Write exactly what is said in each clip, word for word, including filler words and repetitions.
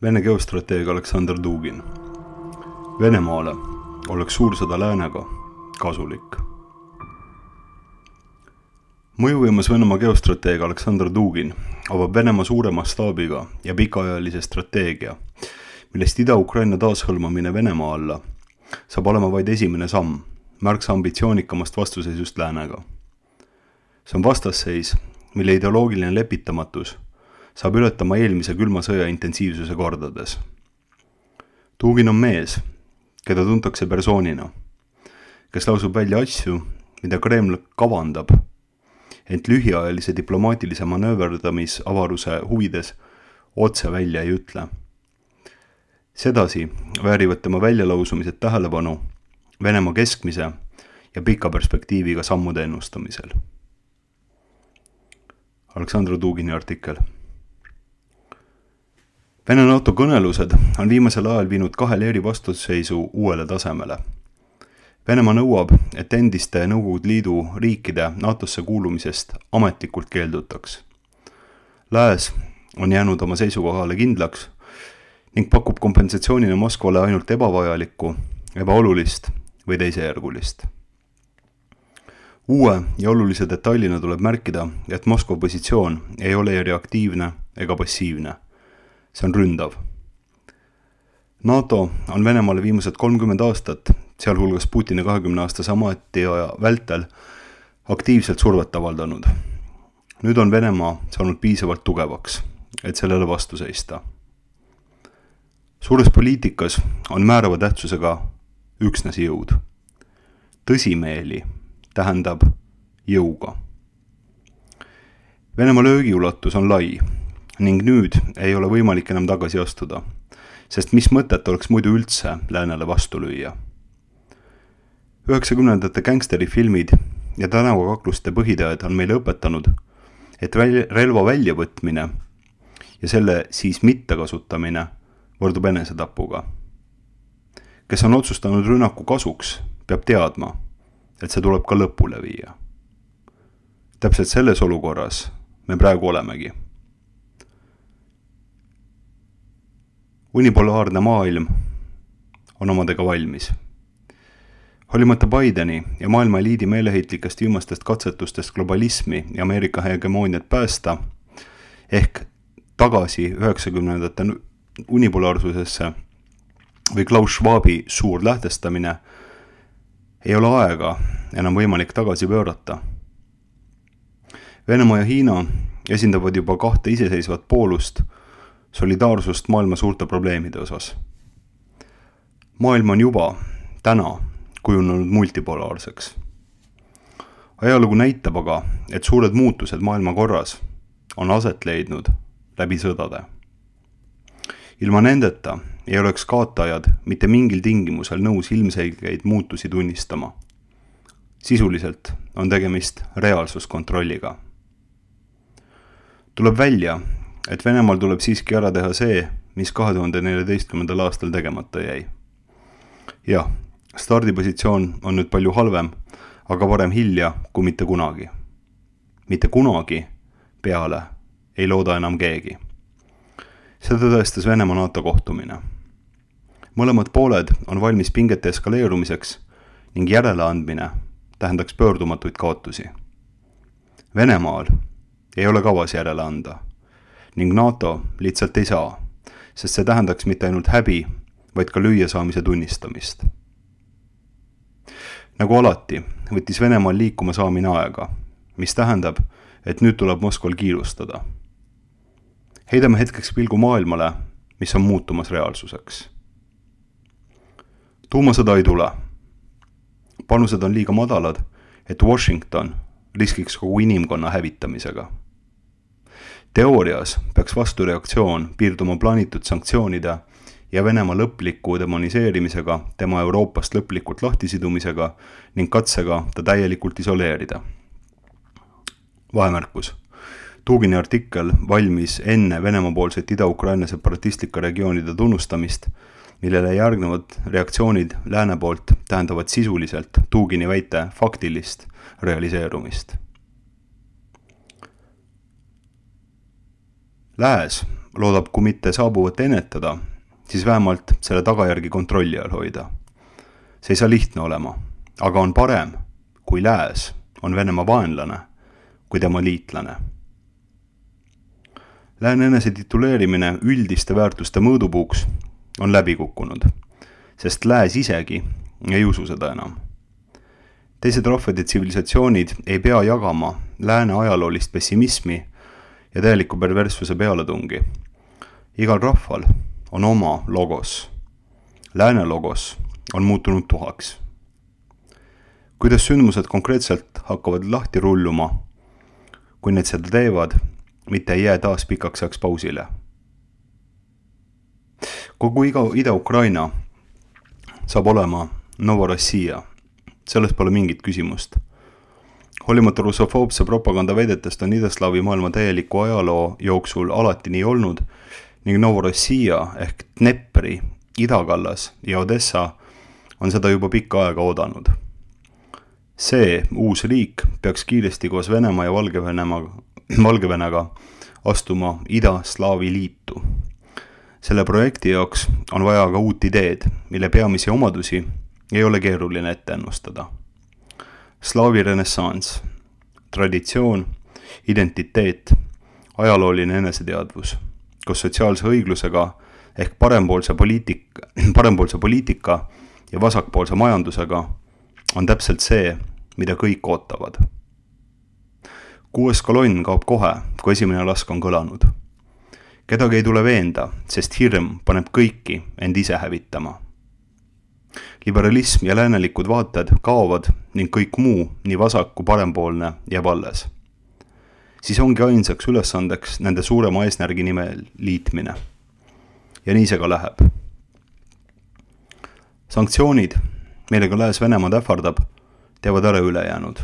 Vene geostrateeg Aleksandr Dugin. Venemaale oleks suursõda läänega kasulik. Mõjuvõimas Venemaa geostrateeg Aleksandr Dugin avab Venemaa suure mastaabiga ja pikaajalise strateegia, millest Ida-Ukraina taashõlmamine Venemaa alla saab olema vaid esimene samm, märksa ambitsioonikamast vastuseisust läänega. See on vastasseis, mille ideoloogiline lepitamatus saab ületama eelmise külma sõja intensiivsuse kordades. Dugin on mees, keda tuntakse persoonina, kes lausub välja asju, mida Kreml kavandab, ent lühiajalise diplomaatilise manööverdamisavaruse huvides otse välja ei ütle. Sedasi väärivad tema väljalausumised tähelepanu Venemaa keskmise ja pika perspektiiviga sammude ennustamisel. Aleksandr Dugini artikkel. Vene NATO kõnelused on viimasel ajal viinud kahele eri vastusseisu uuele tasemele. Venemaa nõuab, et endiste Nõukogude Liidu riikide NATOsse kuulumisest ametlikult keeldutaks. Lääs on jäänud oma seisukohale kindlaks ning pakub kompensatsioonina Moskvale ainult ebavajalikku, ebaolulist või teisejärgulist. Uue ja olulise detailina tuleb märkida, et Moskva positsioon ei ole reaktiivne ega passiivne. See on ründav. NATO on Venemaale viimased kolmkümmend aastat, sealhulgas Putini kahekümne aastase ametiaja vältel, aktiivselt survet avaldanud. Nüüd on Venemaa saanud piisavalt tugevaks, et sellele vastu seista. Suures poliitikas on määrava tähtsusega üksnes jõud. Tõsimeeli tähendab jõuga. Venemaa löögiulatus on lai ning nüüd ei ole võimalik enam tagasi astuda, sest mis mõtet oleks muidu üldse läänele vastu lüüa. üheksakümnendate gängsterifilmid ja tänavakakluste põhiteed on meile õpetanud, et relva väljavõtmine ja selle siis mittekasutamine võrdub enesetapuga. Kes on otsustanud rünnaku kasuks, peab teadma, et see tuleb ka lõpule viia. Täpselt selles olukorras me praegu olemegi. Unipolaarne maailm on omadega valmis. Hoolimata Bideni ja maailma eliidi meeleheitlikest viimastest katsetustest globalismi ja Ameerika hegemooniat päästa, ehk tagasi üheksakümnendate unipolaarsusesse või Klaus Schwabi suur lähtestamine, ei ole aega enam võimalik tagasi pöörata. Venemaa ja Hiina esindavad juba kahte iseseisvat poolust, solidaarsust maailma suurte probleemide osas. Maailm on juba täna kujunenud multipolaarseks. Ajalugu näitab aga, et suured muutused maailma korras on aset leidnud läbi sõdade. Ilma nendeta ei oleks kaotajad mitte mingil tingimusel nõus ilmselgeid muutusi tunnistama. Sisuliselt on tegemist reaalsuskontrolliga. Tuleb välja, et Venemaal tuleb siiski ära teha see, mis kahe tuhande neljateistkümnendal aastal tegemata jäi. Jah, stardipositsioon on nüüd palju halvem, aga parem hilja kui mitte kunagi. Mitte kunagi peale ei looda enam keegi. Seda tõestas Venemaa NATO kohtumine. Mõlemad pooled on valmis pingete eskaleerumiseks ning järeleandmine tähendaks pöördumatuid kaotusi. Venemaal ei ole kavas järele anda ning NATO lihtsalt ei saa, sest see tähendaks mitte ainult häbi, vaid ka lüüasaamise tunnistamist. Nagu alati, võttis Venemaal liikuma saamine aega, mis tähendab, et nüüd tuleb Moskval kiirustada. Heidame hetkeks pilgu maailmale, mis on muutumas reaalsuseks. Tuumasõda ei tule. Panused on liiga madalad, et Washington riskiks kogu inimkonna hävitamisega. Teoorias peaks vastureaktsioon piirduma plaanitud sanktsioonide ja Venemaa lõpliku demoniseerimisega, tema Euroopast lõplikult lahtisidumisega ning katsega ta täielikult isoleerida. Vahemärkus. Dugini artikkel valmis enne Venemaa-poolset Ida-Ukraina separatistlike regioonide tunnustamist, millele järgnevad reaktsioonid lääne poolt tähendavad sisuliselt Dugini väite faktilist realiseerumist. Lääs loodab, kui mitte saabuvat ennetada, siis vähemalt selle tagajärgi kontrolli all hoida. See ei saa lihtne olema, aga on parem, kui lääs on Venemaa vaenlane, kui tema liitlane. Lääne enese tituleerimine üldiste väärtuste mõõdupuuks on läbi kukkunud, sest lääs isegi ei usu seda enam. Teised rahvad ja tsivilisatsioonid ei pea jagama lääne ajaloolist pessimismi ja täieliku perverssuse pealetungi. Igal rahval on oma logos. Lääne logos on muutunud tuhaks. Kuidas sündmused konkreetselt hakkavad lahti rulluma, kui need seda teevad, mitte ei jää taas pikaks ajaks pausile. Kogu Ida-Ukraina saab olema Novorossija. Selles pole mingit küsimust. Hoolimata russofoobse propaganda väidetest on idaslaavi maailma täieliku ajaloo jooksul alati nii olnud ning Novorossija ehk Dnepri, Idakallas ja Odessa on seda juba pikka aega oodanud. See uus riik peaks kiiresti koos Venemaa ja Valgevenega astuma Ida-Slaavi liitu. Selle projekti jaoks on vaja ka uut ideed, mille peamisi omadusi ei ole keeruline ette ennustada. Slaavi renessanss, traditsioon, identiteet, ajalooline eneseteadvus, koos sotsiaalse õiglusega ehk parempoolse poliitika, parempoolse poliitika ja vasakpoolse majandusega on täpselt see, mida kõik ootavad. Kuues kolonn kaob kohe, kui esimene lask on kõlanud. Kedagi ei tule veenda, sest hirm paneb kõiki end ise hävitama. Liberalism ja läänelikud vaated kaovad ning kõik muu, nii vasak kui parempoolne, jääb alles. Siis ongi ainsaks ülesandeks nende suurema eesnärgi nimel liitmine. Ja nii see ka läheb. Sanktsioonid, millega lääs Venemaad ähvardab, teevad ära ülejäänud.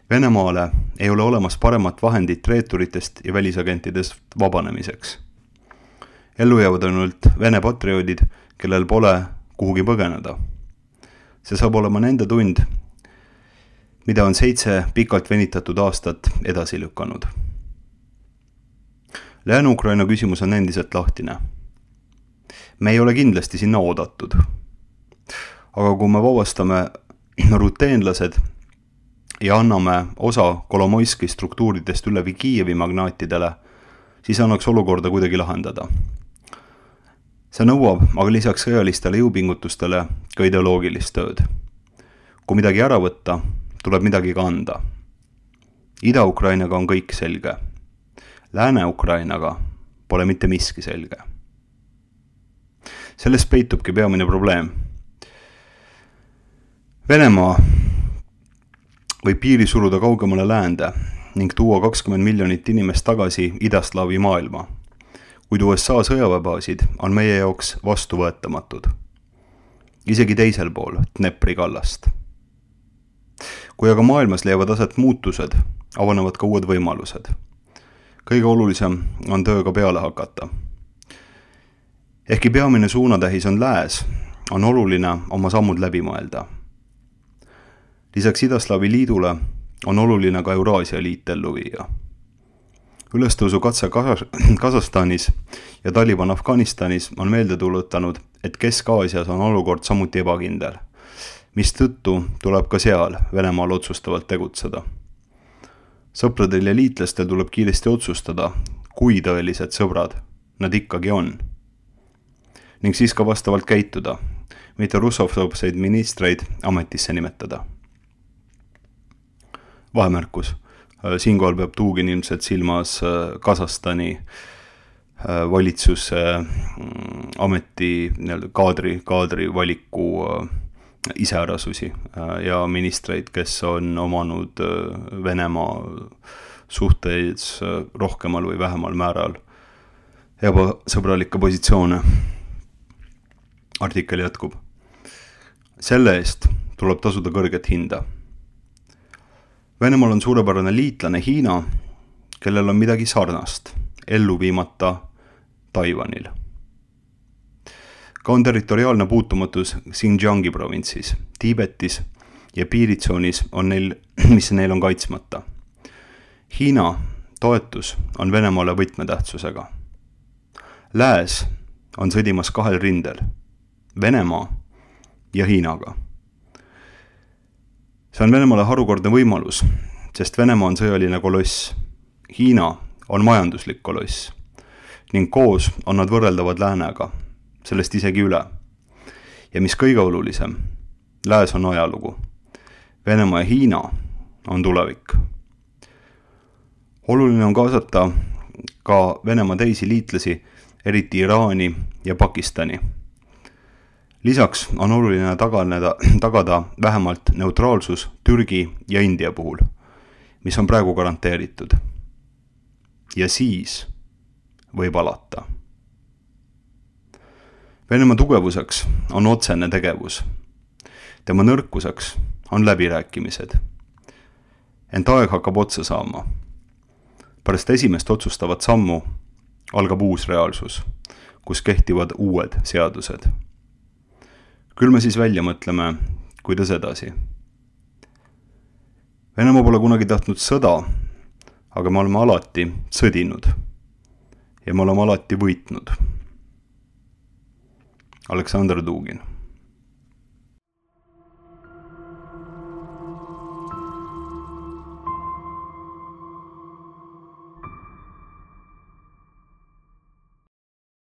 Venemaale ei ole olemas paremat vahendit reeturitest ja välisagentidest vabanemiseks. Ellu jäävad ainult Vene patrioodid, kellel pole kuhugi põgeneda. See saab olema nende tund, mida on seitse pikalt venitatud aastat edasi lükanud. Lääne-Ukraina küsimus on endiselt lahtine. Me ei ole kindlasti sinna oodatud. Aga kui me vabastame ruteenlased ja anname osa Kolomoiski struktuuridest üle Kiievi magnaatidele, siis annaks olukorda kuidagi lahendada. See nõuab aga lisaks sõjalistele jõupingutustele ka ideoloogilist tööd. Kui midagi ära võtta, tuleb midagi ka anda. Ida-Ukrainaga on kõik selge. Lääne-Ukrainaga pole mitte miski selge. Sellest peitubki peamine probleem. Venemaa võib piiri suruda kaugemale läände ning tuua kakskümmend miljonit inimest tagasi Idaslaavi maailma, kuid U S A sõjaväebaasid on meie jaoks vastuvõetamatud. Isegi teisel pool Dnepri kallast. Kui aga maailmas leiavad aset muutused, avanevad ka uued võimalused. Kõige olulisem on tööga peale hakata. Ehkki peamine suunatähis on lääs, on oluline oma sammud läbi mõelda. Lisaks Idaslaavi liidule on oluline ka Euraasia liit ellu viia. Ülestõusu katse Kasahstanis ja Taliban Afganistanis on meelde tuletanud, et Kesk-Aasias on olukord samuti ebakindel, mis tõttu tuleb ka seal Venemaal otsustavalt tegutseda. Sõpradel ja liitlastel tuleb kiiresti otsustada, kui tõelised sõbrad nad ikkagi on. Ning siis ka vastavalt käituda, mitte russofoobseid ministreid ametisse nimetada. Vahemärkus. Siinkohal peab Dugin ilmselt silmas Kasahstani valitsuse ameti kaadri, kaadri valiku iseärasusi ja ministreid, kes on omanud Venemaa suhteid rohkemal või vähemal määral ebasõbralikke positsioone. Artikkel jätkub. Selle eest tuleb tasuda kõrget hinda. Venemaal on suurepärane liitlane Hiina, kellel on midagi sarnast, ellu viimata Taiwanil. Ka on territoriaalne puutumatus Xinjiangi provintsis, Tiibetis ja piiritsoonis, on neil, mis neil on kaitsmata. Hiina toetus on Venemaale võtmetähtsusega. Lääs on sõdimas kahel rindel, Venemaa ja Hiinaga. See on Venemaale harukordne võimalus, sest Venemaa on sõjaline koloss, Hiina on majanduslik koloss ning koos on nad võrreldavad läänega, sellest isegi üle. Ja mis kõige olulisem, lääs on ajalugu. Venemaa ja Hiina on tulevik. Oluline on kaasata ka Venemaa teisi liitlasi, eriti Iraani ja Pakistani. Lisaks on oluline taganeda, tagada vähemalt neutraalsus Türgi ja India puhul, mis on praegu garanteeritud. Ja siis võib alata. Venemaa tugevuseks on otsene tegevus. Tema nõrkuseks on läbirääkimised. Ent aeg hakkab otsa saama. Pärast esimest otsustavat sammu algab uus reaalsus, kus kehtivad uued seadused. Küll me siis välja mõtleme, kuidas edasi. Venemaa pole kunagi tahtnud sõda, aga me oleme alati sõdinud ja me oleme alati võitnud. Aleksandr Dugin.